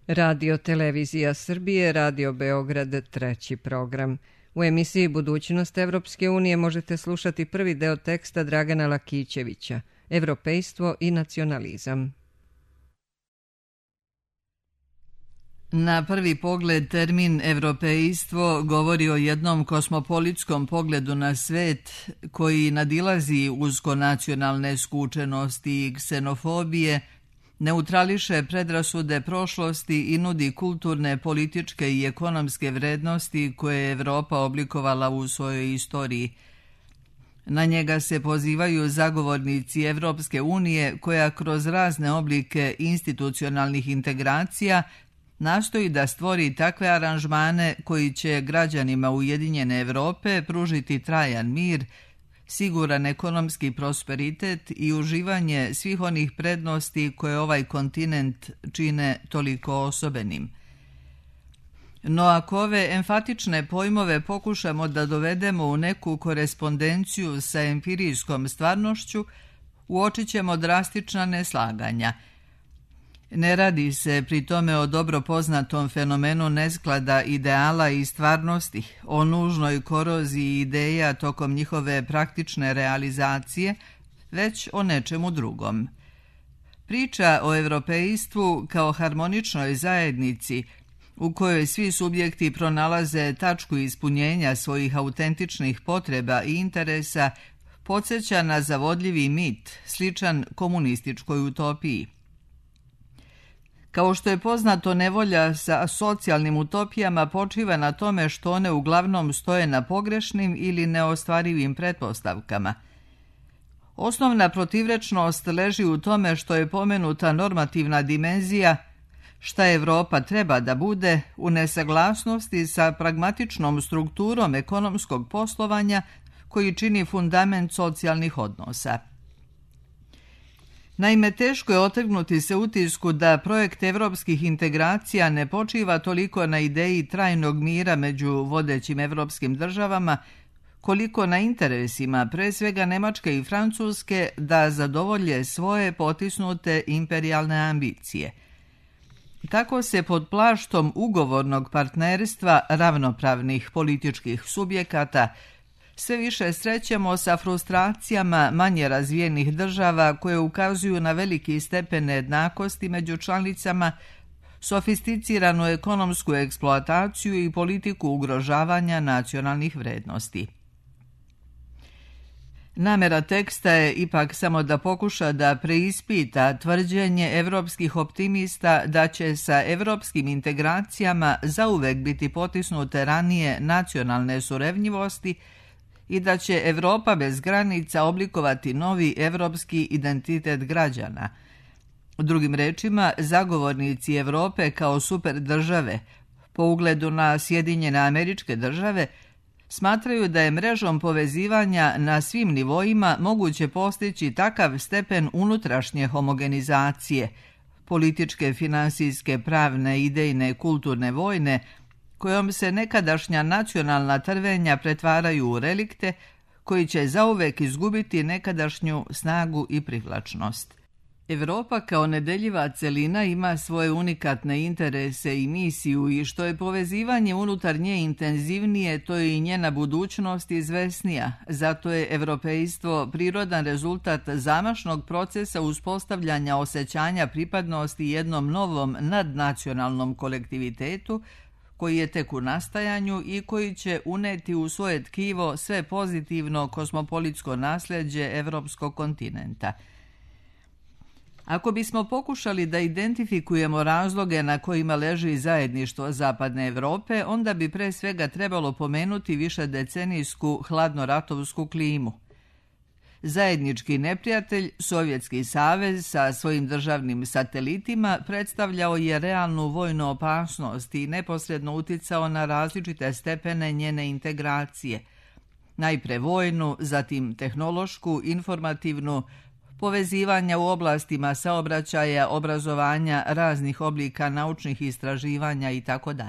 Radio Televizija Srbije, Radio Beograd, treći program. U emisiji Budućnost Evropske unije možete slušati prvi deo teksta Dragana Lakićevića, Evropejstvo i nacionalizam. Na prvi pogled termin evropejstvo govori o jednom kosmopolitskom pogledu na svet koji nadilazi uskonacionalne skučenosti i ksenofobije, neutrališe predrasude prošlosti i nudi kulturne, političke i ekonomske vrednosti koje je Evropa oblikovala u svojoj istoriji. Na njega se pozivaju zagovornici Evropske unije koja kroz razne oblike institucionalnih integracija nastoji da stvori takve aranžmane koji će građanima Ujedinjene Evrope pružiti trajan mir, siguran ekonomski prosperitet i uživanje svih onih prednosti koje ovaj kontinent čine toliko osobenim. No ako ove emfatične pojmove pokušamo da dovedemo u neku korespondenciju sa empirijskom stvarnošću, uočit ćemo drastična neslaganja. Ne radi se pri tome o dobro poznatom fenomenu nesklada ideala i stvarnosti, o nužnoj koroziji ideja tokom njihove praktične realizacije, već o nečemu drugom. Priča o evropejstvu kao harmoničnoj zajednici, u kojoj svi subjekti pronalaze tačku ispunjenja svojih autentičnih potreba i interesa, podsjeća na zavodljivi mit, sličan komunističkoj utopiji. Kao što je poznato, nevolja sa socijalnim utopijama počiva na tome što one uglavnom stoje na pogrešnim ili neostvarivim pretpostavkama. Osnovna protivrečnost leži u tome što je pomenuta normativna dimenzija, šta Evropa treba da bude, u nesaglasnosti sa pragmatičnom strukturom ekonomskog poslovanja koji čini fundament socijalnih odnosa. Naime, teško je otrgnuti se utisku da projekt evropskih integracija ne počiva toliko na ideji trajnog mira među vodećim evropskim državama, koliko na interesima, pre svega Nemačke i Francuske, da zadovolje svoje potisnute imperijalne ambicije. Tako se pod plaštom ugovornog partnerstva ravnopravnih političkih subjekata sve više srećemo sa frustracijama manje razvijenih država koje ukazuju na veliki stepen nejednakosti među članicama, sofisticiranu ekonomsku eksploataciju i politiku ugrožavanja nacionalnih vrednosti. Namera teksta je ipak samo da pokuša da preispita tvrđenje evropskih optimista da će sa evropskim integracijama zauvek biti potisnute ranije nacionalne surevnjivosti i da će Evropa bez granica oblikovati novi evropski identitet građana. Drugim rečima, zagovornici Evrope kao super države, po ugledu na Sjedinjene Američke Države, smatraju da je mrežom povezivanja na svim nivoima moguće postići takav stepen unutrašnje homogenizacije, političke, finansijske, pravne, idejne, kulturne, vojne, kojom se nekadašnja nacionalna trvenja pretvaraju u relikte koji će zauvek izgubiti nekadašnju snagu i privlačnost. Evropa kao nedeljiva celina ima svoje unikatne interese i misiju i što je povezivanje unutar nje intenzivnije, to je i njena budućnost izvesnija. Zato je evropejstvo prirodan rezultat zamašnog procesa uspostavljanja osjećanja pripadnosti jednom novom nadnacionalnom kolektivitetu koji je tek u nastajanju i koji će uneti u svoje tkivo sve pozitivno kosmopolitsko nasljeđe evropskog kontinenta. Ako bismo pokušali da identifikujemo razloge na kojima leži zajedništvo Zapadne Evrope, onda bi pre svega trebalo pomenuti višedecenijsku hladnoratovsku klimu. Zajednički neprijatelj, Sovjetski savez sa svojim državnim satelitima, predstavljao je realnu vojnu opasnost i neposredno uticao na različite stepene njene integracije. Najpre vojnu, zatim tehnološku, informativnu, povezivanja u oblastima saobraćaja, obrazovanja, raznih oblika naučnih istraživanja itd.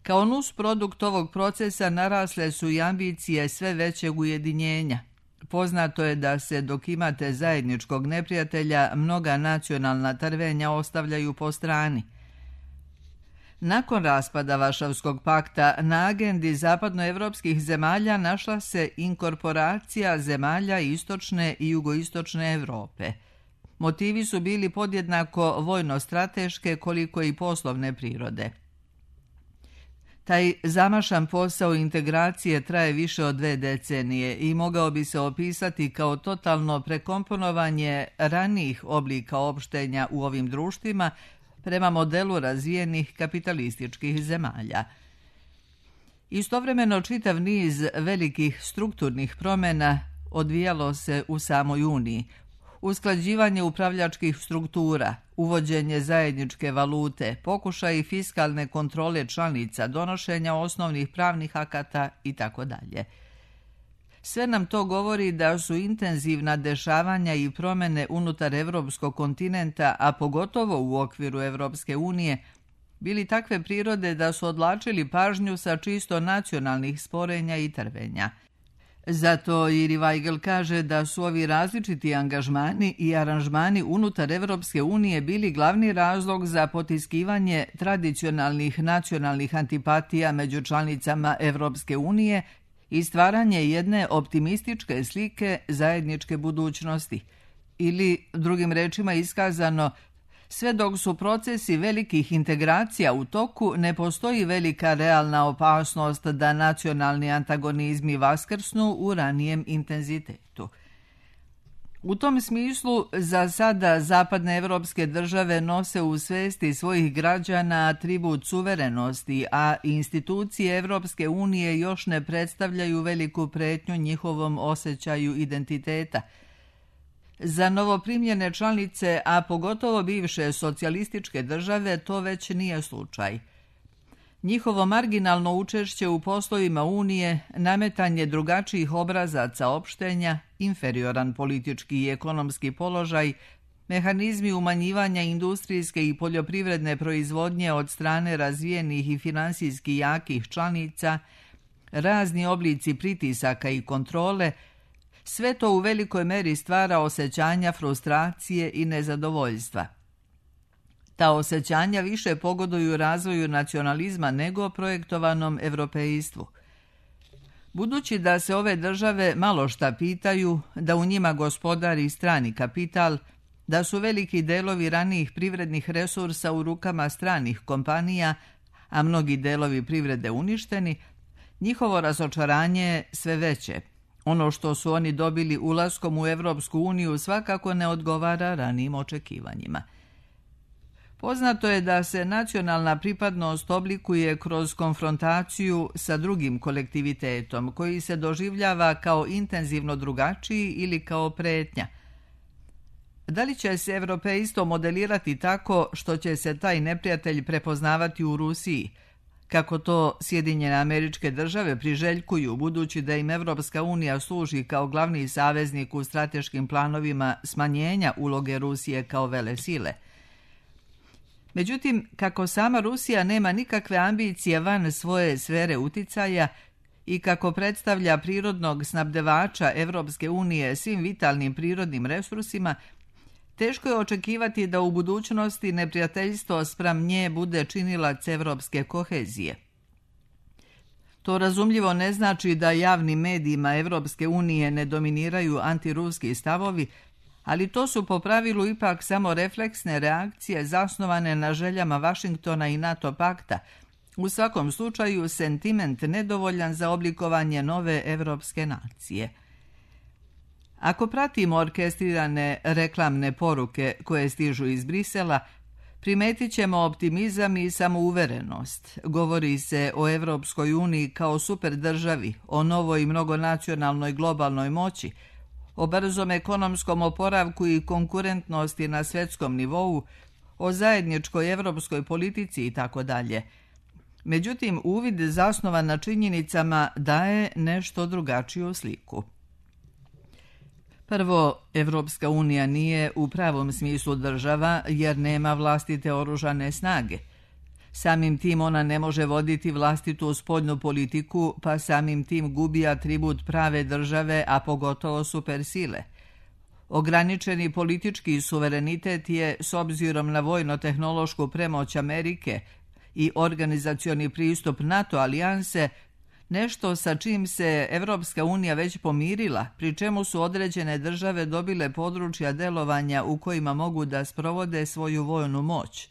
Kao nusprodukt ovog procesa narasle su i ambicije sve većeg ujedinjenja. Poznato je da se dok imate zajedničkog neprijatelja, mnoga nacionalna trvenja ostavljaju po strani. Nakon raspada Varšavskog pakta na agendi zapadnoevropskih zemalja našla se inkorporacija zemalja istočne i jugoistočne Europe. Motivi su bili podjednako vojno-strateške koliko i poslovne prirode. Taj zamašan posao integracije traje više od 2 decenije i mogao bi se opisati kao totalno prekomponovanje ranijih oblika opštenja u ovim društvima prema modelu razvijenih kapitalističkih zemalja. Istovremeno čitav niz velikih strukturnih promjena odvijalo se u samoj Uniji. Usklađivanje upravljačkih struktura, uvođenje zajedničke valute, pokušaj fiskalne kontrole članica, donošenja osnovnih pravnih akata itd. Sve nam to govori da su intenzivna dešavanja i promjene unutar evropskog kontinenta, a pogotovo u okviru Evropske unije, bili takve prirode da su odvlačili pažnju sa čisto nacionalnih sporenja i trvenja. Zato Iri Weigel kaže da su ovi različiti angažmani i aranžmani unutar Evropske unije bili glavni razlog za potiskivanje tradicionalnih nacionalnih antipatija među članicama Evropske unije i stvaranje jedne optimističke slike zajedničke budućnosti. Ili, drugim rečima iskazano, sve dok su procesi velikih integracija u toku, ne postoji velika realna opasnost da nacionalni antagonizmi vaskrsnu u ranijem intenzitetu. U tom smislu, za sada zapadne evropske države nose u svesti svojih građana atribut suverenosti, a institucije Evropske unije još ne predstavljaju veliku pretnju njihovom osjećaju identiteta. Za novoprimljene članice, a pogotovo bivše socijalističke države, to već nije slučaj. Njihovo marginalno učešće u poslovima Unije, nametanje drugačijih obrazaca opštenja, inferioran politički i ekonomski položaj, mehanizmi umanjivanja industrijske i poljoprivredne proizvodnje od strane razvijenih i finansijski jakih članica, razni oblici pritisaka i kontrole, sve to u velikoj meri stvara osjećanja frustracije i nezadovoljstva. Ta osjećanja više pogoduju razvoju nacionalizma nego projektovanom evropejstvu. Budući da se ove države malo šta pitaju, da u njima gospodari strani kapital, da su veliki delovi ranijih privrednih resursa u rukama stranih kompanija, a mnogi delovi privrede uništeni, njihovo razočaranje je sve veće. Ono što su oni dobili ulaskom u Evropsku uniju svakako ne odgovara ranijim očekivanjima. Poznato je da se nacionalna pripadnost oblikuje kroz konfrontaciju sa drugim kolektivitetom, koji se doživljava kao intenzivno drugačiji ili kao pretnja. Da li će se evropejstvo modelirati tako što će se taj neprijatelj prepoznavati u Rusiji, kako to Sjedinjene Američke Države priželjkuju, budući da im Evropska unija služi kao glavni saveznik u strateškim planovima smanjenja uloge Rusije kao velesile? Međutim, kako sama Rusija nema nikakve ambicije van svoje sfere uticaja i kako predstavlja prirodnog snabdevača Evropske unije svim vitalnim prirodnim resursima, teško je očekivati da u budućnosti neprijateljstvo spram nje bude činilac evropske kohezije. To razumljivo ne znači da javnim medijima Evropske unije ne dominiraju antiruski stavovi, ali to su po pravilu ipak samo refleksne reakcije zasnovane na željama Vašingtona i NATO pakta, u svakom slučaju sentiment nedovoljan za oblikovanje nove evropske nacije. Ako pratimo orkestrirane reklamne poruke koje stižu iz Brisela, primetit ćemo optimizam i samouverenost. Govori se o Evropskoj uniji kao super državi, o novoj mnogonacionalnoj globalnoj moći, o brzom ekonomskom oporavku i konkurentnosti na svjetskom nivou, o zajedničkoj evropskoj politici itd. Međutim, uvid zasnovan na činjenicama daje nešto drugačiju sliku. Prvo, Evropska unija nije u pravom smislu država jer nema vlastite oružane snage. Samim tim ona ne može voditi vlastitu spoljnu politiku, pa samim tim gubi atribut prave države, a pogotovo supersile. Ograničeni politički suverenitet je, s obzirom na vojno-tehnološku premoć Amerike i organizacioni pristup NATO alijanse nešto sa čim se Evropska unija već pomirila, pri čemu su određene države dobile područja delovanja u kojima mogu da sprovode svoju vojnu moć,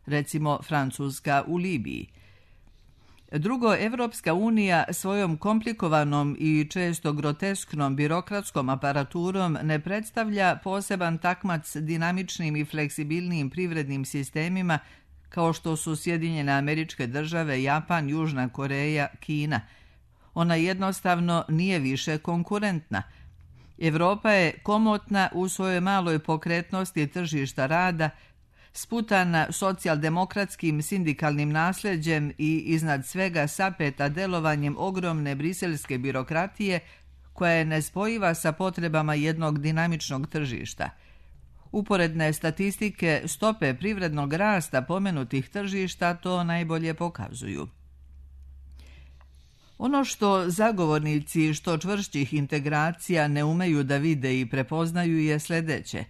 recimo Francuska u Libiji. Drugo, Evropska unija svojom komplikovanom i često grotesknom birokratskom aparaturom ne predstavlja poseban takmac dinamičnim i fleksibilnim privrednim sistemima kao što su Sjedinjene Američke Države, Japan, Južna Koreja, Kina. Ona jednostavno nije više konkurentna. Evropa je komotna u svojoj maloj pokretnosti tržišta rada, sputana socijaldemokratskim sindikalnim nasljeđem i iznad svega sapeta delovanjem ogromne briselske birokratije koja je nespojiva sa potrebama jednog dinamičnog tržišta. Uporedne statistike stope privrednog rasta pomenutih tržišta to najbolje pokazuju. Ono što zagovornici što čvršćih integracija ne umeju da vide i prepoznaju je sljedeće.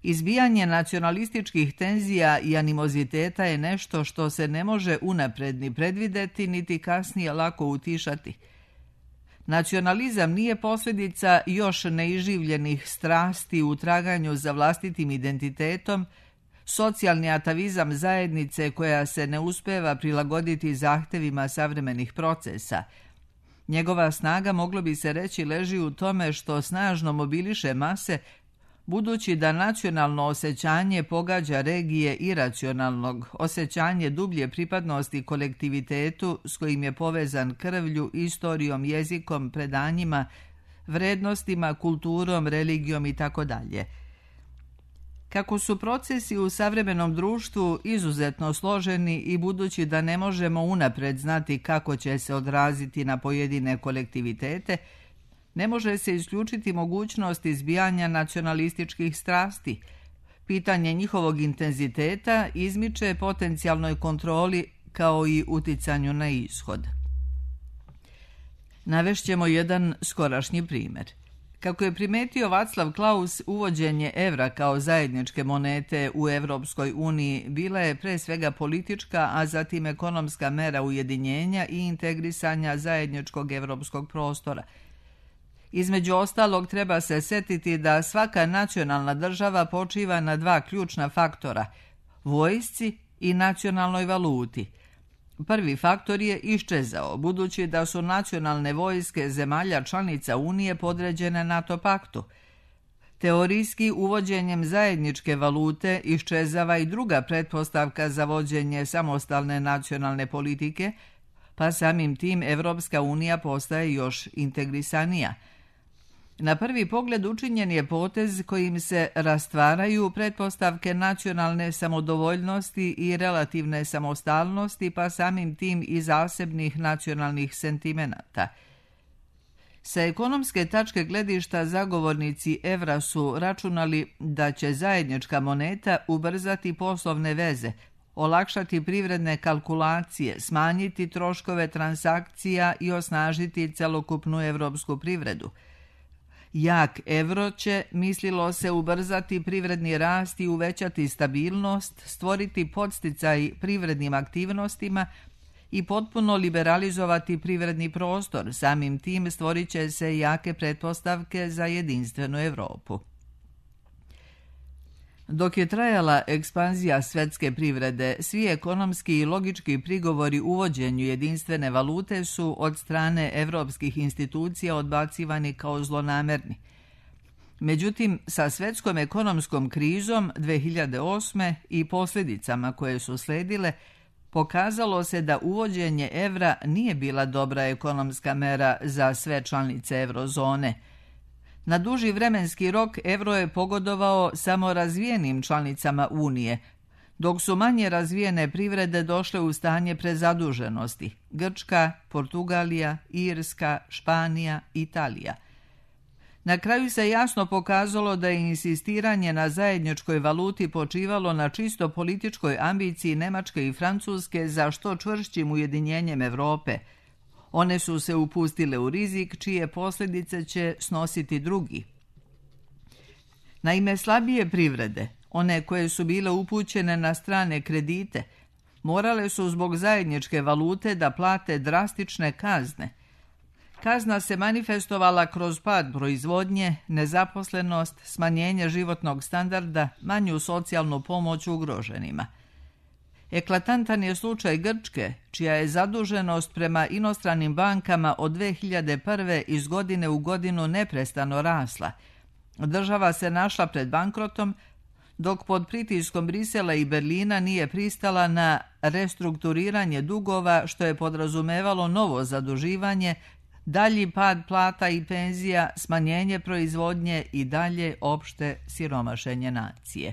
Izbijanje nacionalističkih tenzija i animoziteta je nešto što se ne može unapred ni predvideti, niti kasnije lako utišati. Nacionalizam nije posljedica još neiživljenih strasti u traganju za vlastitim identitetom, socijalni atavizam zajednice koja se ne uspeva prilagoditi zahtevima savremenih procesa. Njegova snaga, moglo bi se reći, leži u tome što snažno mobiliše mase, budući da nacionalno osjećanje pogađa regije iracionalnog, osjećanje dublje pripadnosti kolektivitetu s kojim je povezan krvlju, istorijom, jezikom, predanjima, vrednostima, kulturom, religijom itd. Kako su procesi u savremenom društvu izuzetno složeni i budući da ne možemo unapred znati kako će se odraziti na pojedine kolektivitete, ne može se isključiti mogućnost izbijanja nacionalističkih strasti. Pitanje njihovog intenziteta izmiče potencijalnoj kontroli kao i uticanju na ishod. Navešćemo jedan skorašnji primjer. Kako je primetio Václav Klaus, uvođenje evra kao zajedničke monete u Evropskoj uniji bila je pre svega politička, a zatim ekonomska mera ujedinjenja i integrisanja zajedničkog evropskog prostora. Između ostalog, treba se setiti da svaka nacionalna država počiva na dva ključna faktora – vojsci i nacionalnoj valuti. Prvi faktor je iščezao, budući da su nacionalne vojske zemalja članica Unije podređene NATO paktu. Teorijski, uvođenjem zajedničke valute iščezava i druga pretpostavka za vođenje samostalne nacionalne politike, pa samim tim Evropska unija postaje još integrisanija. Na prvi pogled učinjen je potez kojim se rastvaraju pretpostavke nacionalne samodovoljnosti i relativne samostalnosti, pa samim tim i zasebnih nacionalnih sentimenata. Sa ekonomske tačke gledišta zagovornici evra su računali da će zajednička moneta ubrzati poslovne veze, olakšati privredne kalkulacije, smanjiti troškove transakcija i osnažiti celokupnu evropsku privredu. Jak evro će, mislilo se, ubrzati privredni rast i uvećati stabilnost, stvoriti podsticaj privrednim aktivnostima i potpuno liberalizovati privredni prostor. Samim tim stvorit će se jake pretpostavke za jedinstvenu Evropu. Dok je trajala ekspanzija svetske privrede, svi ekonomski i logički prigovori uvođenju jedinstvene valute su od strane evropskih institucija odbacivani kao zlonamerni. Međutim, sa svetskom ekonomskom krizom 2008. i posljedicama koje su sledile, pokazalo se da uvođenje evra nije bila dobra ekonomska mera za sve članice eurozone. Na duži vremenski rok evro je pogodovao samo razvijenim članicama Unije, dok su manje razvijene privrede došle u stanje prezaduženosti – Grčka, Portugalija, Irska, Španija, Italija. Na kraju se jasno pokazalo da je insistiranje na zajedničkoj valuti počivalo na čisto političkoj ambiciji Nemačke i Francuske za što čvršćim ujedinjenjem Evrope. One su se upustile u rizik čije posljedice će snositi drugi. Naime, slabije privrede, one koje su bile upućene na strane kredite, morale su zbog zajedničke valute da plate drastične kazne. Kazna se manifestovala kroz pad proizvodnje, nezaposlenost, smanjenje životnog standarda, manju socijalnu pomoć ugroženima. Eklatantan je slučaj Grčke, čija je zaduženost prema inostranim bankama od 2001. iz godine u godinu neprestano rasla. Država se našla pred bankrotom, dok pod pritiskom Brisela i Berlina nije pristala na restrukturiranje dugova, što je podrazumevalo novo zaduživanje, dalji pad plata i penzija, smanjenje proizvodnje i dalje opšte siromašenje nacije.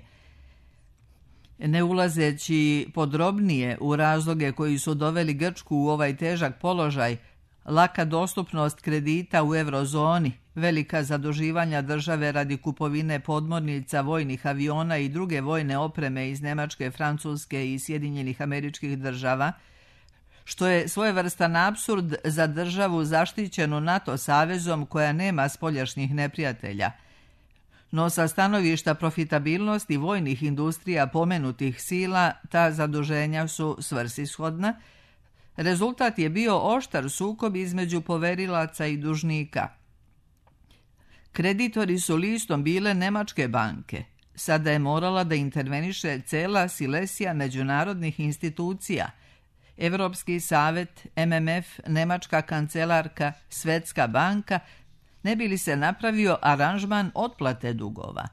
Ne ulazeći podrobnije u razloge koji su doveli Grčku u ovaj težak položaj, laka dostupnost kredita u eurozoni, velika zaduživanja države radi kupovine podmornica, vojnih aviona i druge vojne opreme iz Nemačke, Francuske i Sjedinjenih Američkih Država, što je svojevrstan apsurd za državu zaštićenu NATO savezom koja nema spoljašnjih neprijatelja. No sa stanovišta profitabilnosti vojnih industrija pomenutih sila, ta zaduženja su svrsishodna. Rezultat je bio oštar sukob između poverilaca i dužnika. Kreditori su listom bile nemačke banke. Sada je morala da interveniše cela silesija međunarodnih institucija. Evropski savet, MMF, Nemačka kancelarka, Svetska banka, ne bi li se napravio aranžman otplate dugova.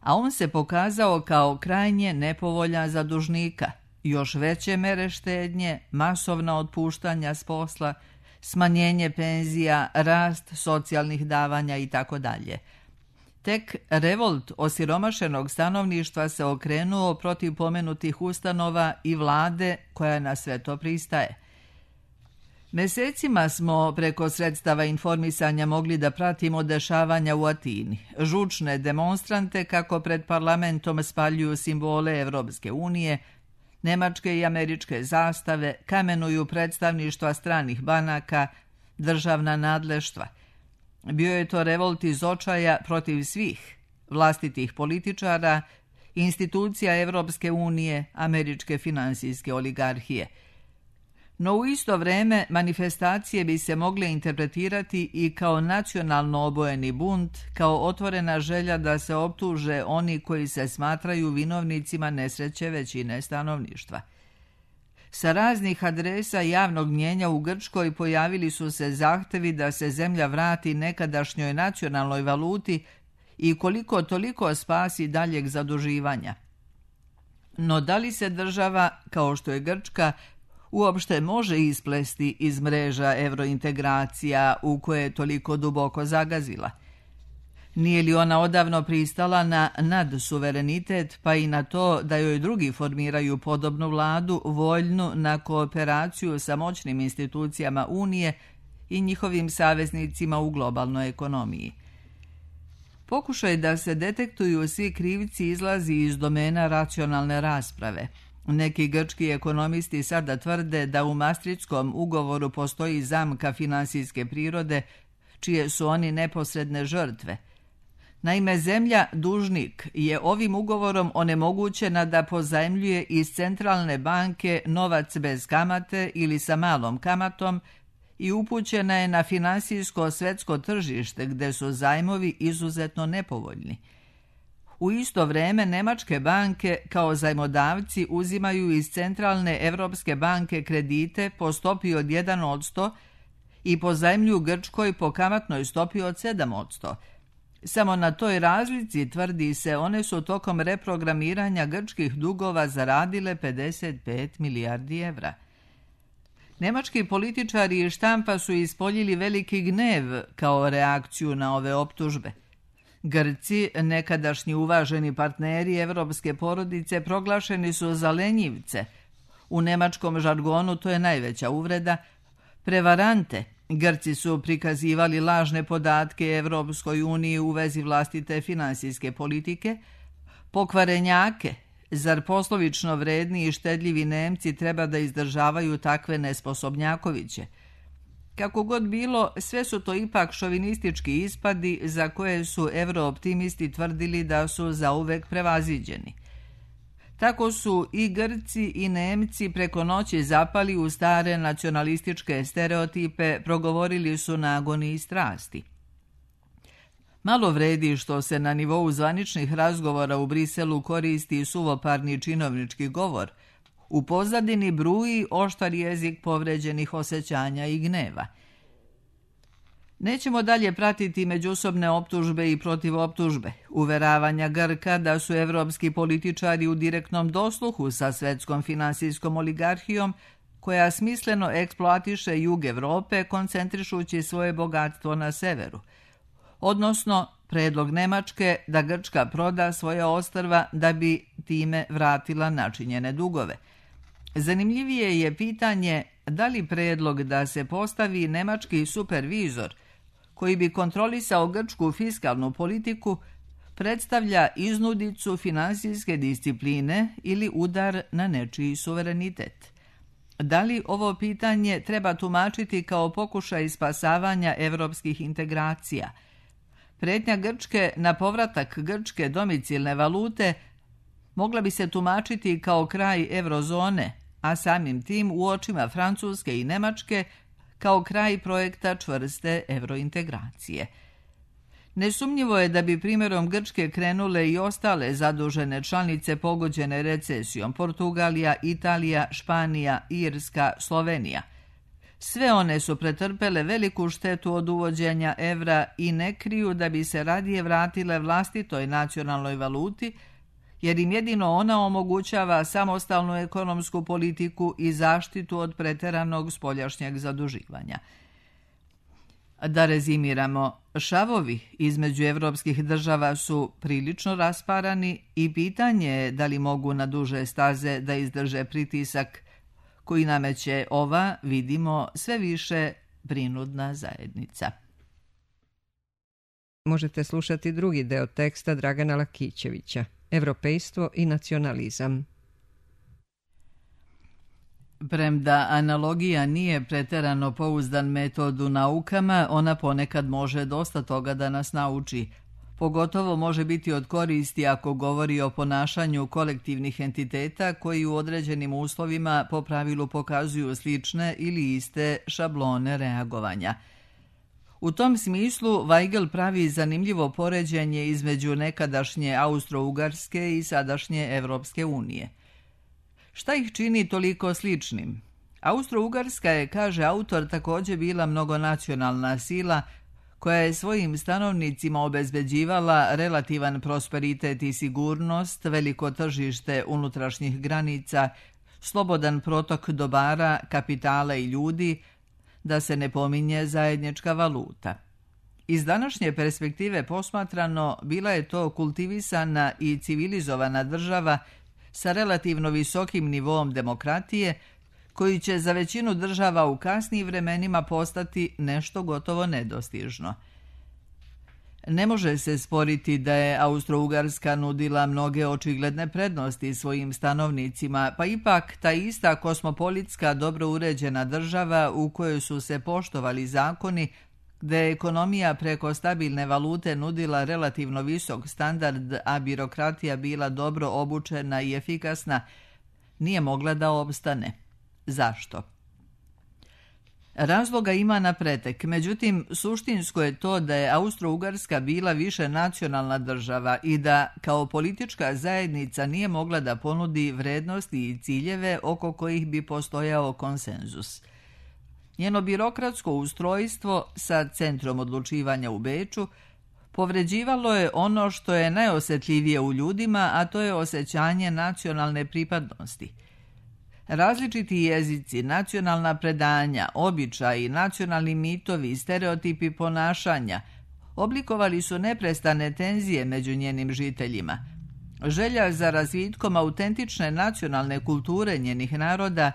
A on se pokazao kao krajnje nepovoljan za dužnika. Još veće mere štednje, masovna otpuštanja s posla, smanjenje penzija, rast socijalnih davanja itd. Tek revolt osiromašenog stanovništva se okrenuo protiv pomenutih ustanova i vlade koja na sve to pristaje. Mesecima smo preko sredstava informisanja mogli da pratimo dešavanja u Atini. Žučne demonstrante kako pred parlamentom spaljuju simbole Evropske unije, nemačke i američke zastave, kamenuju predstavništva stranih banaka, državna nadleštva. Bio je to revolt iz očaja protiv svih, vlastitih političara, institucija Evropske unije, američke finansijske oligarhije. No u isto vreme manifestacije bi se mogle interpretirati i kao nacionalno obojeni bunt, kao otvorena želja da se optuže oni koji se smatraju vinovnicima nesreće većine stanovništva. Sa raznih adresa javnog mnjenja u Grčkoj pojavili su se zahtevi da se zemlja vrati nekadašnjoj nacionalnoj valuti i koliko toliko spasi daljeg zaduživanja. No da li se država, kao što je Grčka, uopšte može isplesti iz mreža evrointegracija u koje je toliko duboko zagazila? Nije li ona odavno pristala na nadsuverenitet, pa i na to da joj drugi formiraju podobnu vladu, voljnu na kooperaciju sa moćnim institucijama Unije i njihovim saveznicima u globalnoj ekonomiji? Pokušaj da se detektuju svi krivci izlazi iz domena racionalne rasprave. Neki grčki ekonomisti sada tvrde da u Maastrichtskom ugovoru postoji zamka finansijske prirode, čije su oni neposredne žrtve. Naime, zemlja dužnik je ovim ugovorom onemogućena da pozajmljuje iz centralne banke novac bez kamate ili sa malom kamatom i upućena je na finansijsko svetsko tržište gde su zajmovi izuzetno nepovoljni. U isto vreme nemačke banke kao zajmodavci uzimaju iz centralne Evropske banke kredite po stopi od 1% i pozajmljuju Grčkoj po kamatnoj stopi od 7%. Samo na toj razlici, tvrdi se, one su tokom reprogramiranja grčkih dugova zaradile 55 milijardi evra. Nemački političari i štampa su ispoljili veliki gnev kao reakciju na ove optužbe. Grci, nekadašnji uvaženi partneri evropske porodice, proglašeni su za lenjivce. U nemačkom žargonu to je najveća uvreda. Prevarante. Grci su prikazivali lažne podatke Evropskoj uniji u vezi vlastite finansijske politike. Pokvarenjake. Zar poslovično vredni i štedljivi Nemci treba da izdržavaju takve nesposobnjakoviće? Kako god bilo, sve su to ipak šovinistički ispadi za koje su evrooptimisti tvrdili da su zauvek prevaziđeni. Tako su i Grci i Nemci preko noći zapali u stare nacionalističke stereotipe, progovorili su na agoniji strasti. Malo vredi što se na nivou zvaničnih razgovora u Briselu koristi suvoparni činovnički govor. U pozadini bruji oštar jezik povređenih osjećanja i gneva. Nećemo dalje pratiti međusobne optužbe i protivoptužbe, uveravanja Grka da su evropski političari u direktnom dosluhu sa svetskom finansijskom oligarhijom, koja smisleno eksploatiše jug Evrope koncentrišući svoje bogatstvo na severu. Odnosno, predlog Nemačke da Grčka proda svoje ostrva da bi time vratila načinjene dugove. Zanimljivije je pitanje da li predlog da se postavi nemački supervizor koji bi kontrolisao grčku fiskalnu politiku predstavlja iznudicu finansijske discipline ili udar na nečiji suverenitet. Da li ovo pitanje treba tumačiti kao pokušaj spasavanja evropskih integracija? Pretnja Grčke na povratak grčke domicilne valute mogla bi se tumačiti kao kraj eurozone, a samim tim u očima Francuske i Nemačke kao kraj projekta čvrste eurointegracije. Nesumnjivo je da bi primjerom Grčke krenule i ostale zadužene članice pogođene recesijom: Portugalija, Italija, Španija, Irska, Slovenija. Sve one su pretrpele veliku štetu od uvođenja evra i ne kriju da bi se radije vratile vlastitoj nacionalnoj valuti, jer im jedino ona omogućava samostalnu ekonomsku politiku i zaštitu od preteranog spoljašnjeg zaduživanja. Da rezimiramo, šavovi između evropskih država su prilično rasparani i pitanje je da li mogu na duže staze da izdrže pritisak koji nameće ova, vidimo, sve više prinudna zajednica. Možete slušati drugi deo teksta Dragana Lakićevića, Evropejstvo i nacionalizam. Premda analogija nije preterano pouzdan metod u naukama, ona ponekad može dosta toga da nas nauči. Pogotovo može biti od koristi ako govori o ponašanju kolektivnih entiteta koji u određenim uslovima po pravilu pokazuju slične ili iste šablone reagovanja. U tom smislu Weigel pravi zanimljivo poređenje između nekadašnje Austro-Ugarske i sadašnje Evropske unije. Šta ih čini toliko sličnim? Austro-Ugarska je, kaže autor, također bila mnogonacionalna sila koja je svojim stanovnicima obezbeđivala relativan prosperitet i sigurnost, veliko tržište unutrašnjih granica, slobodan protok dobara, kapitala i ljudi, da se ne pominje zajednička valuta. Iz današnje perspektive posmatrano, bila je to kultivisana i civilizovana država sa relativno visokim nivoom demokratije, koji će za većinu država u kasnijim vremenima postati nešto gotovo nedostižno. Ne može se sporiti da je Austro-Ugarska nudila mnoge očigledne prednosti svojim stanovnicima, pa ipak ta ista kosmopolitska dobro uređena država u kojoj su se poštovali zakoni, gde je ekonomija preko stabilne valute nudila relativno visok standard, a birokratija bila dobro obučena i efikasna, nije mogla da opstane. Zašto? Razloga ima na pretek, međutim suštinsko je to da je Austro-Ugarska bila više nacionalna država i da kao politička zajednica nije mogla da ponudi vrednosti i ciljeve oko kojih bi postojao konsenzus. Njeno birokratsko ustrojstvo sa centrom odlučivanja u Beču povređivalo je ono što je najosjetljivije u ljudima, a to je osjećanje nacionalne pripadnosti. Različiti jezici, nacionalna predanja, običaji, nacionalni mitovi, stereotipi ponašanja oblikovali su neprestane tenzije među njenim žiteljima. Želja za razvitkom autentične nacionalne kulture njenih naroda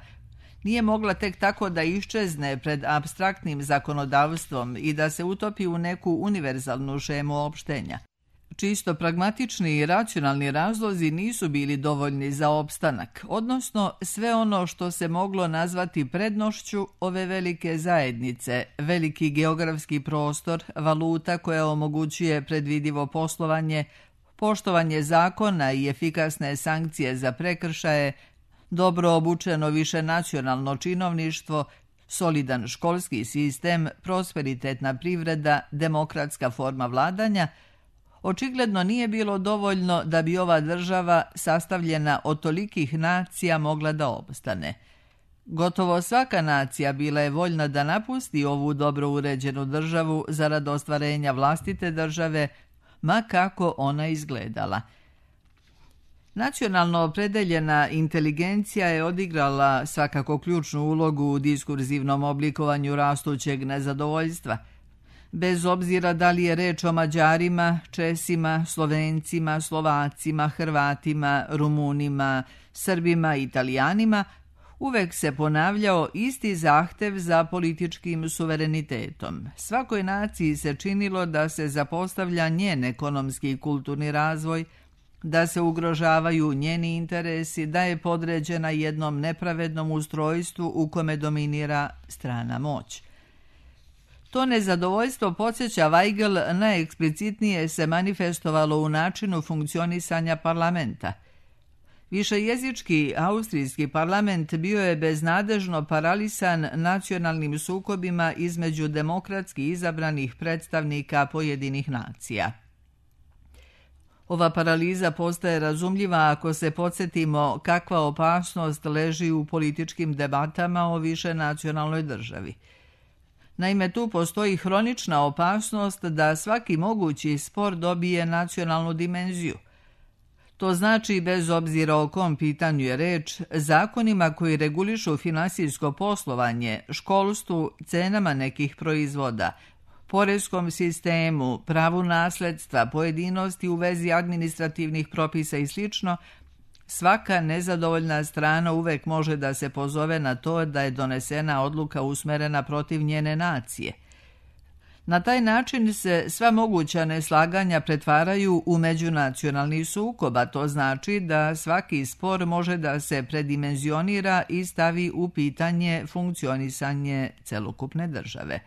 nije mogla tek tako da iščezne pred apstraktnim zakonodavstvom i da se utopi u neku univerzalnu šemu opštenja. Čisto pragmatični i racionalni razlozi nisu bili dovoljni za opstanak, odnosno sve ono što se moglo nazvati prednošću ove velike zajednice, veliki geografski prostor, valuta koja omogućuje predvidivo poslovanje, poštovanje zakona i efikasne sankcije za prekršaje, dobro obučeno višenacionalno činovništvo, solidan školski sistem, prosperitetna privreda, demokratska forma vladanja, očigledno nije bilo dovoljno da bi ova država, sastavljena od tolikih nacija, mogla da opstane. Gotovo svaka nacija bila je voljna da napusti ovu dobro uređenu državu zarad ostvarenja vlastite države, ma kako ona izgledala. Nacionalno opredeljena inteligencija je odigrala svakako ključnu ulogu u diskurzivnom oblikovanju rastućeg nezadovoljstva. Bez obzira da li je reč o Mađarima, Česima, Slovencima, Slovacima, Hrvatima, Rumunima, Srbima, Italijanima, uvek se ponavljao isti zahtev za političkim suverenitetom. Svakoj naciji se činilo da se zapostavlja njen ekonomski i kulturni razvoj, da se ugrožavaju njeni interesi, da je podređena jednom nepravednom ustrojstvu u kome dominira strana moć. To nezadovoljstvo, podsjeća Weigel, najeksplicitnije se manifestovalo u načinu funkcionisanja parlamenta. Višejezički austrijski parlament bio je beznadežno paralisan nacionalnim sukobima između demokratski izabranih predstavnika pojedinih nacija. Ova paraliza postaje razumljiva ako se podsjetimo kakva opasnost leži u političkim debatama o višenacionalnoj državi. Naime, tu postoji hronična opasnost da svaki mogući spor dobije nacionalnu dimenziju. To znači, bez obzira o kom pitanju je reč, zakonima koji regulišu finansijsko poslovanje, školstvu, cenama nekih proizvoda, poreskom sistemu, pravu nasledstva, pojedinosti u vezi administrativnih propisa i sl., svaka nezadovoljna strana uvek može da se pozove na to da je donesena odluka usmerena protiv njene nacije. Na taj način se sva moguća neslaganja pretvaraju u međunacionalni sukob, a to znači da svaki spor može da se predimenzionira i stavi u pitanje funkcionisanje celokupne države.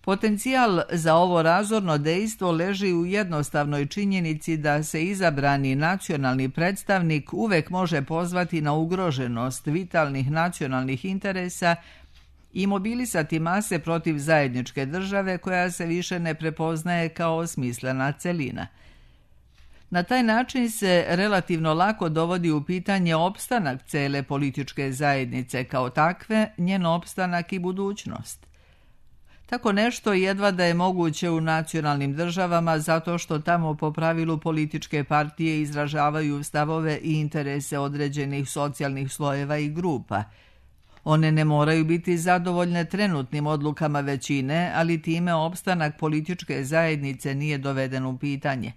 Potencijal za ovo razorno dejstvo leži u jednostavnoj činjenici da se izabrani nacionalni predstavnik uvek može pozvati na ugroženost vitalnih nacionalnih interesa i mobilisati mase protiv zajedničke države koja se više ne prepoznaje kao smislena celina. Na taj način se relativno lako dovodi u pitanje opstanak cele političke zajednice kao takve, njen opstanak i budućnost. Tako nešto jedva da je moguće u nacionalnim državama zato što tamo po pravilu političke partije izražavaju stavove i interese određenih socijalnih slojeva i grupa. One ne moraju biti zadovoljne trenutnim odlukama većine, ali time opstanak političke zajednice nije doveden u pitanje.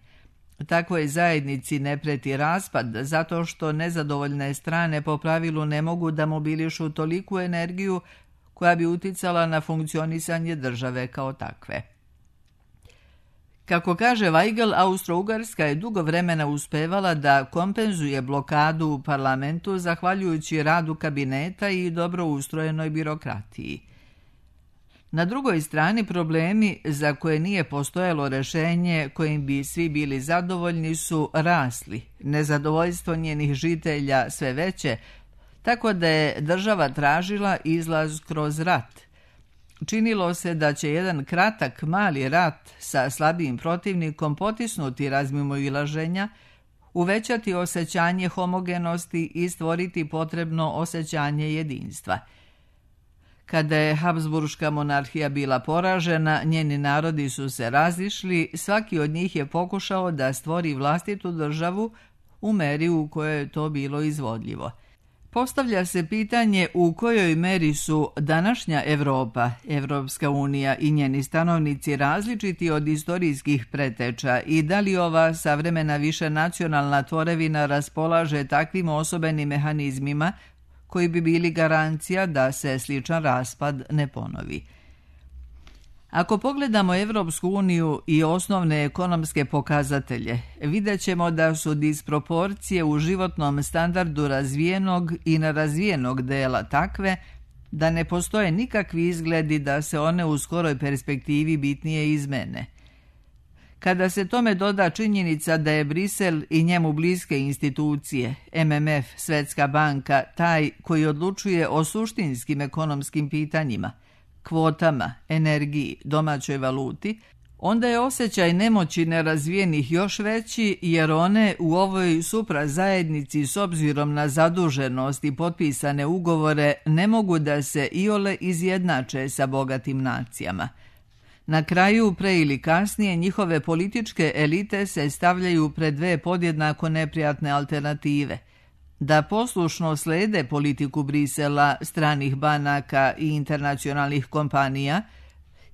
Takvoj zajednici ne preti raspad zato što nezadovoljne strane po pravilu ne mogu da mobilišu toliku energiju koja bi uticala na funkcionisanje države kao takve. Kako kaže Weigel, Austro-Ugarska je dugo vremena uspevala da kompenzuje blokadu u parlamentu zahvaljujući radu kabineta i dobro ustrojenoj birokratiji. Na drugoj strani problemi za koje nije postojalo rešenje kojim bi svi bili zadovoljni su rasli, nezadovoljstvo njenih žitelja sve veće, tako da je država tražila izlaz kroz rat. Činilo se da će jedan kratak, mali rat sa slabijim protivnikom potisnuti razmimoilaženja, uvećati osjećanje homogenosti i stvoriti potrebno osjećanje jedinstva. Kada je Habsburška monarhija bila poražena, njeni narodi su se razišli, svaki od njih je pokušao da stvori vlastitu državu u meri u kojoj je to bilo izvodljivo. Postavlja se pitanje u kojoj meri su današnja Evropa, Evropska unija i njeni stanovnici različiti od istorijskih preteča i da li ova savremena višenacionalna tvorevina raspolaže takvim osobenim mehanizmima koji bi bili garancija da se sličan raspad ne ponovi. Ako pogledamo Evropsku uniju i osnovne ekonomske pokazatelje, vidjet ćemo da su disproporcije u životnom standardu razvijenog i nerazvijenog dela takve da ne postoje nikakvi izgledi da se one u skoroj perspektivi bitnije izmene. Kada se tome doda činjenica da je Brisel i njemu bliske institucije, MMF, Svjetska banka, taj koji odlučuje o suštinskim ekonomskim pitanjima, kvotama, energiji, domaćoj valuti, onda je osjećaj nemoći nerazvijenih još veći jer one u ovoj suprazajednici s obzirom na zaduženost i potpisane ugovore ne mogu da se iole izjednače sa bogatim nacijama. Na kraju, pre ili kasnije, njihove političke elite se stavljaju pred dve podjednako neprijatne alternative. Da poslušno slede politiku Brisela, stranih banaka i internacionalnih kompanija,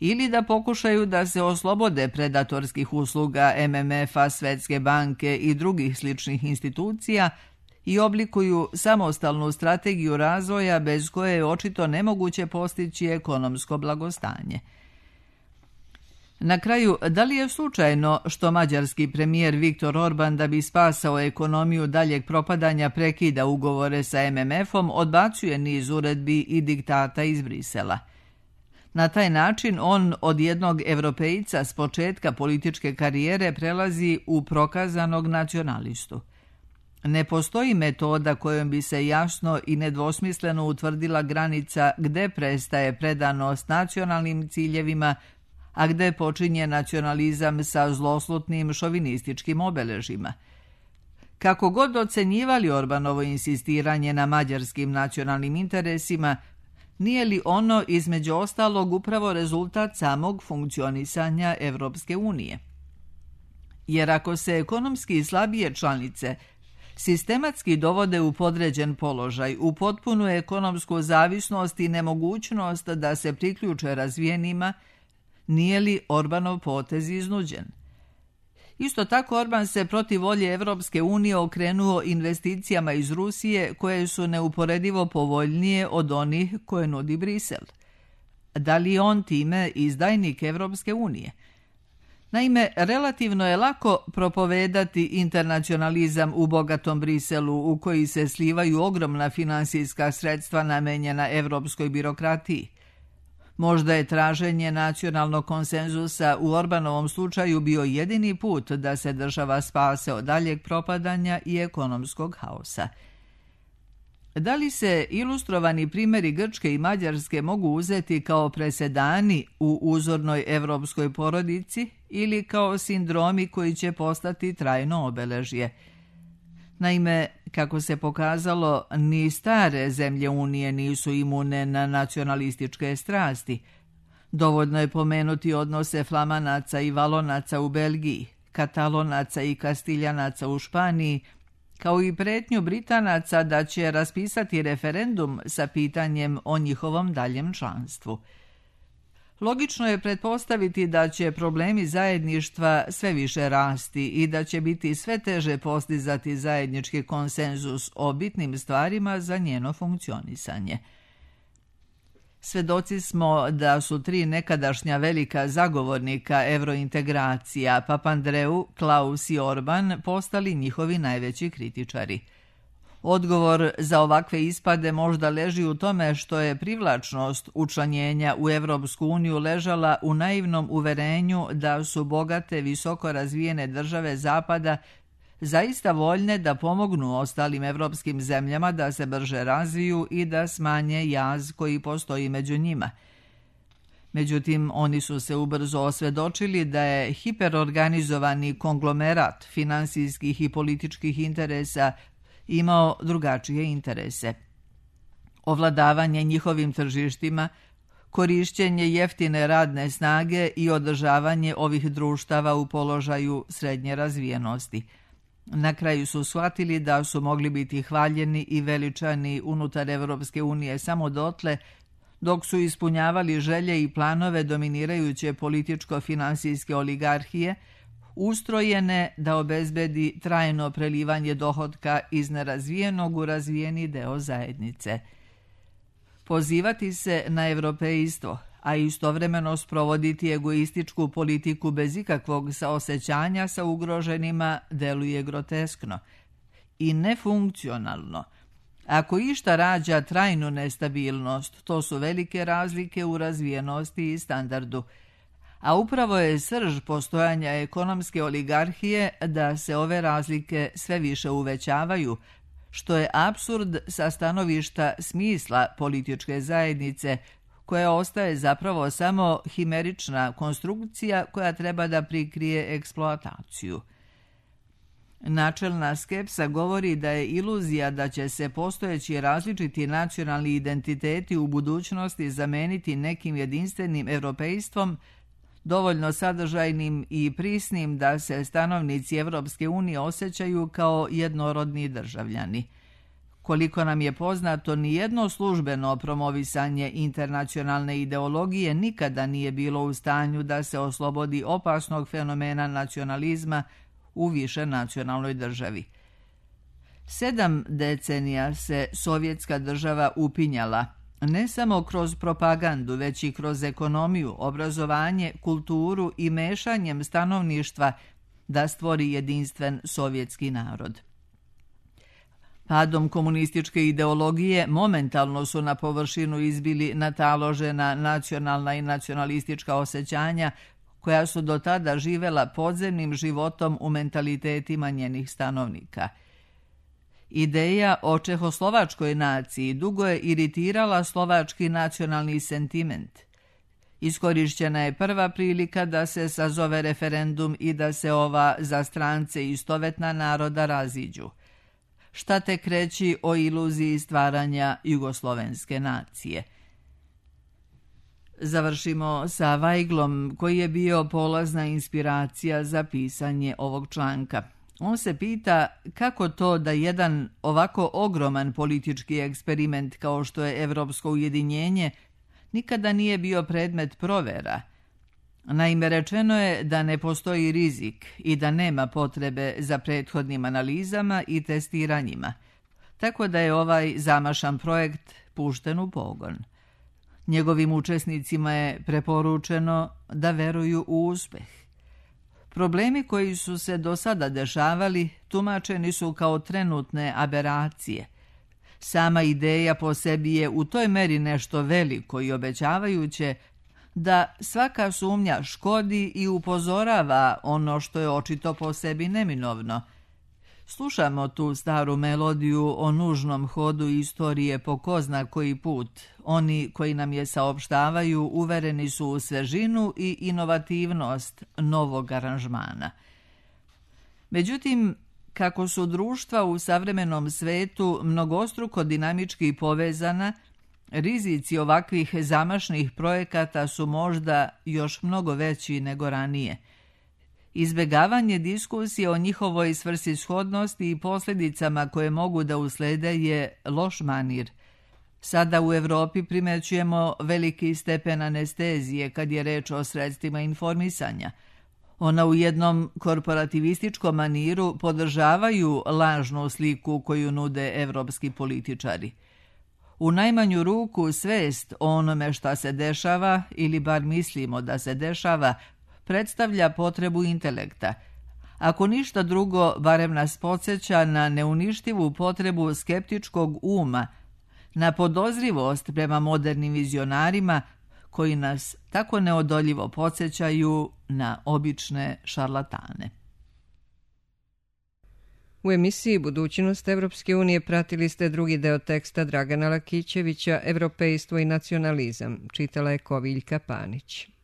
ili da pokušaju da se oslobode predatorskih usluga MMF-a, Svjetske banke i drugih sličnih institucija i oblikuju samostalnu strategiju razvoja bez koje je očito nemoguće postići ekonomsko blagostanje. Na kraju, da li je slučajno što mađarski premijer Viktor Orban da bi spasao ekonomiju daljeg propadanja prekida ugovore sa MMF-om, odbacuje niz uredbi i diktata iz Brisela. Na taj način on od jednog Evropejca s početka političke karijere prelazi u prokazanog nacionalistu. Ne postoji metoda kojom bi se jasno i nedvosmisleno utvrdila granica gde prestaje predanost nacionalnim ciljevima, a gde počinje nacionalizam sa zloslutnim šovinističkim obeležima. Kako god ocenjivali Orbanovo insistiranje na mađarskim nacionalnim interesima, nije li ono između ostalog upravo rezultat samog funkcionisanja Evropske unije? Jer ako se ekonomski slabije članice sistematski dovode u podređen položaj, u potpunu ekonomsku zavisnost i nemogućnost da se priključe razvijenima, nije li Orbanov potez iznuđen? Isto tako Orban se protiv volje Evropske unije okrenuo investicijama iz Rusije koje su neuporedivo povoljnije od onih koje nudi Brisel. Da li je on time izdajnik Evropske unije? Naime, relativno je lako propovedati internacionalizam u bogatom Briselu u koji se slivaju ogromna finansijska sredstva namenjena evropskoj birokratiji. Možda je traženje nacionalnog konsenzusa u Orbanovom slučaju bio jedini put da se država spase od daljeg propadanja i ekonomskog haosa. Da li se ilustrovani primjeri Grčke i Mađarske mogu uzeti kao presedani u uzornoj evropskoj porodici ili kao sindromi koji će postati trajno obeležje? Naime, kako se pokazalo, ni stare zemlje Unije nisu imune na nacionalističke strasti. Dovoljno je pomenuti odnose Flamanaca i Valonaca u Belgiji, Katalonaca i Kastiljanaca u Španiji, kao i pretnju Britanaca da će raspisati referendum sa pitanjem o njihovom daljem članstvu. Logično je pretpostaviti da će problemi zajedništva sve više rasti i da će biti sve teže postizati zajednički konsenzus o bitnim stvarima za njeno funkcionisanje. Svedoci smo da su tri nekadašnja velika zagovornika evrointegracija, Papandreou, Klaus i Orban, postali njihovi najveći kritičari. Odgovor za ovakve ispade možda leži u tome što je privlačnost učlanjenja u Evropsku uniju ležala u naivnom uverenju da su bogate, visoko razvijene države Zapada zaista voljne da pomognu ostalim evropskim zemljama da se brže razviju i da smanje jaz koji postoji među njima. Međutim, oni su se ubrzo osvedočili da je hiperorganizovani konglomerat finansijskih i političkih interesa imao drugačije interese. Ovladavanje njihovim tržištima, korišćenje jeftine radne snage i održavanje ovih društava u položaju srednje razvijenosti. Na kraju su shvatili da su mogli biti hvaljeni i veličani unutar Evropske unije samo dotle dok su ispunjavali želje i planove dominirajuće političko-finansijske oligarhije, ustrojene da obezbedi trajno prelivanje dohotka iz nerazvijenog u razvijeni deo zajednice. Pozivati se na evropejstvo, a istovremeno sprovoditi egoističku politiku bez ikakvog saosećanja sa ugroženima deluje groteskno i nefunkcionalno. Ako išta rađa trajnu nestabilnost, to su velike razlike u razvijenosti i standardu. a upravo je srž postojanja ekonomske oligarhije da se ove razlike sve više uvećavaju, što je apsurd sa stanovišta smisla političke zajednice, koja ostaje zapravo samo himerična konstrukcija koja treba da prikrije eksploataciju. Načelna skepsa govori da je iluzija da će se postojeći različiti nacionalni identiteti u budućnosti zameniti nekim jedinstvenim evropejstvom, dovoljno sadržajnim i prisnim da se stanovnici Evropske unije osjećaju kao jednorodni državljani. Koliko nam je poznato, nijedno službeno promovisanje internacionalne ideologije nikada nije bilo u stanju da se oslobodi opasnog fenomena nacionalizma u više nacionalnoj državi. 7 decenija se sovjetska država upinjala, ne samo kroz propagandu, već i kroz ekonomiju, obrazovanje, kulturu i mešanjem stanovništva da stvori jedinstven sovjetski narod. Padom komunističke ideologije momentalno su na površinu izbili nataložena nacionalna i nacionalistička osjećanja koja su do tada živela podzemnim životom u mentalitetima njenih stanovnika. Ideja o čehoslovačkoj naciji dugo je iritirala slovački nacionalni sentiment. Iskorišćena je prva prilika da se sazove referendum i da se ova za strance istovetna naroda raziđu. Šta tek reći o iluziji stvaranja jugoslovenske nacije? Završimo sa Vajglom, koji je bio polazna inspiracija za pisanje ovog članka. On se pita kako to da jedan ovako ogroman politički eksperiment kao što je Evropsko ujedinjenje nikada nije bio predmet provera. Naime, rečeno je da ne postoji rizik i da nema potrebe za prethodnim analizama i testiranjima, tako da je ovaj zamašan projekt pušten u pogon. Njegovim učesnicima je preporučeno da veruju u uspeh. Problemi koji su se do sada dešavali tumačeni su kao trenutne aberacije. Sama ideja po sebi je u toj meri nešto veliko i obećavajuće da svaka sumnja škodi i upozorava ono što je očito po sebi neminovno. Slušamo tu staru melodiju o nužnom hodu istorije po ko zna koji put. Oni koji nam je saopštavaju uvereni su u svežinu i inovativnost novog aranžmana. Međutim, kako su društva u savremenom svetu mnogostruko dinamički povezana, rizici ovakvih zamašnih projekata su možda još mnogo veći nego ranije. Izbegavanje diskusije o njihovoj svrsishodnosti i posljedicama koje mogu da uslede je loš manir. Sada u Evropi primećujemo veliki stepen anestezije kad je reč o sredstvima informisanja. Ona u jednom korporativističkom maniru podržavaju lažnu sliku koju nude evropski političari. U najmanju ruku svest o onome šta se dešava, ili bar mislimo da se dešava, predstavlja potrebu intelekta. Ako ništa drugo, barem nas podsjeća na neuništivu potrebu skeptičkog uma, na podozrivost prema modernim vizionarima koji nas tako neodoljivo podsjećaju na obične šarlatane. U emisiji Budućnost Evropske unije pratili ste drugi deo teksta Dragana Lakićevića Evropejstvo i nacionalizam. Čitala je Koviljka Panić.